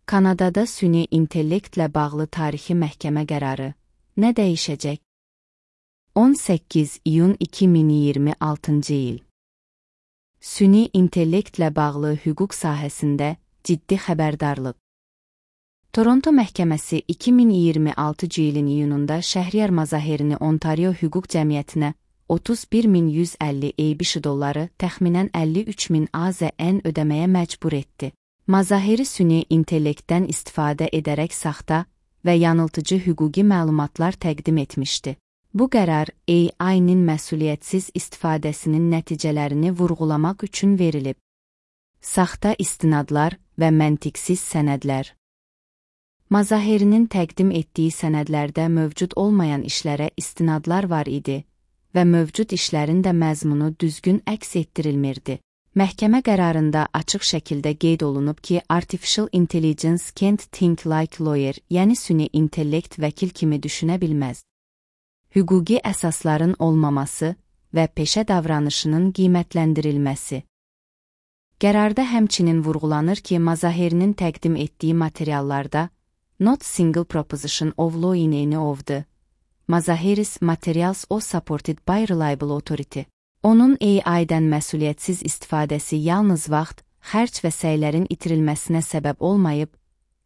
Kanadada süni intellektlə bağlı tarixi məhkəmə qərarı nə dəyişəcək? 18 iyun 2026-cı il. Süni intellektlə bağlı hüquq sahəsində ciddi xəbərdarlıq. Toronto məhkəməsi 2026-cı ilin iyununda Şəhriyar Mazaherini Ontario Hüquq Cəmiyyətinə 31.150 ABC dolları, təxminən 53.000 AZN ödəməyə məcbur etdi. Mazaheri süni intellektdən istifadə edərək saxta və yanıltıcı hüquqi məlumatlar təqdim etmişdi. Bu qərar AI-nin məsuliyyətsiz istifadəsinin nəticələrini vurğulamaq üçün verilib. Saxta istinadlar və məntiqsiz sənədlər. Mazaherinin təqdim etdiyi sənədlərdə mövcud olmayan işlərə istinadlar var idi və mövcud işlərin də məzmunu düzgün əks etdirilmirdi. Məhkəmə qərarında açıq şəkildə qeyd olunub ki, Artificial Intelligence can't think like lawyer, yəni süni intellekt vəkil kimi düşünə bilməz. Hüquqi əsasların olmaması və peşə davranışının qiymətləndirilməsi. Qərarda həmçinin vurğulanır ki, Mazaherinin təqdim etdiyi materiallarda not single proposition of law in any of the Mazaheris materials or supported by reliable authority. Onun AI-dən məsuliyyətsiz istifadəsi yalnız vaxt, xərc və səylərin itirilməsinə səbəb olmayıb,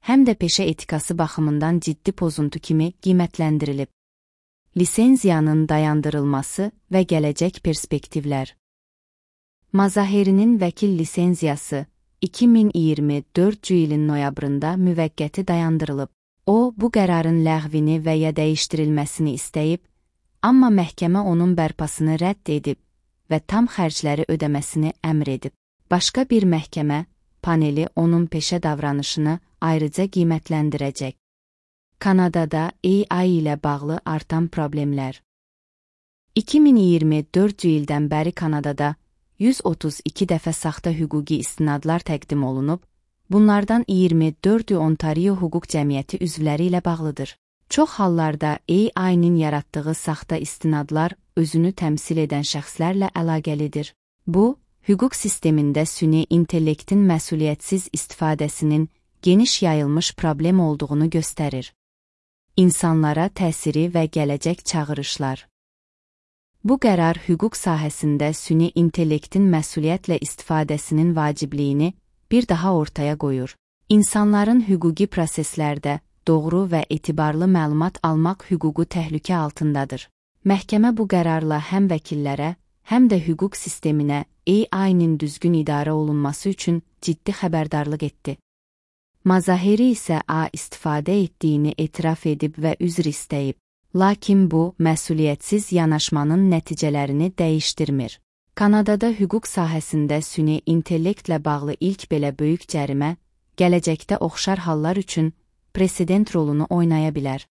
həm də peşə etikası baxımından ciddi pozuntu kimi qiymətləndirilib. Lisenziyanın dayandırılması və gələcək perspektivlər. Mazaherinin vəkil lisenziyası 2024-cü ilin noyabrında müvəqqəti dayandırılıb. O, bu qərarın ləğvini və ya dəyişdirilməsini istəyib, amma məhkəmə onun bərpasını rədd edib və tam xərcləri ödəməsini əmr edib. Başqa bir məhkəmə paneli onun peşə davranışını ayrıca qiymətləndirəcək. Kanadada AI ilə bağlı artan problemlər. 2024-cü ildən bəri Kanadada 132 dəfə saxta hüquqi istinadlar təqdim olunub, bunlardan 24-ü Ontario Hüquq Cəmiyyəti üzvləri ilə bağlıdır. Çox hallarda AI-nin yaratdığı saxta istinadlar özünü təmsil edən şəxslərlə əlaqəlidir. Bu, hüquq sistemində süni intellektin məsuliyyətsiz istifadəsinin geniş yayılmış problem olduğunu göstərir. İnsanlara təsiri və gələcək çağırışlar. Bu qərar hüquq sahəsində süni intellektin məsuliyyətlə istifadəsinin vacibliyini bir daha ortaya qoyur. İnsanların hüquqi proseslərdə doğru və etibarlı məlumat almaq hüququ təhlükə altındadır. Məhkəmə bu qərarla həm vəkillərə, həm də hüquq sisteminə AI-nin düzgün idarə olunması üçün ciddi xəbərdarlıq etdi. Mazaheri isə istifadə etdiyini etiraf edib və üzr istəyib. Lakin bu, məsuliyyətsiz yanaşmanın nəticələrini dəyişdirmir. Kanadada hüquq sahəsində süni intellektlə bağlı ilk belə böyük cərimə, gələcəkdə oxşar hallar üçün president rolunu oynaya bilər.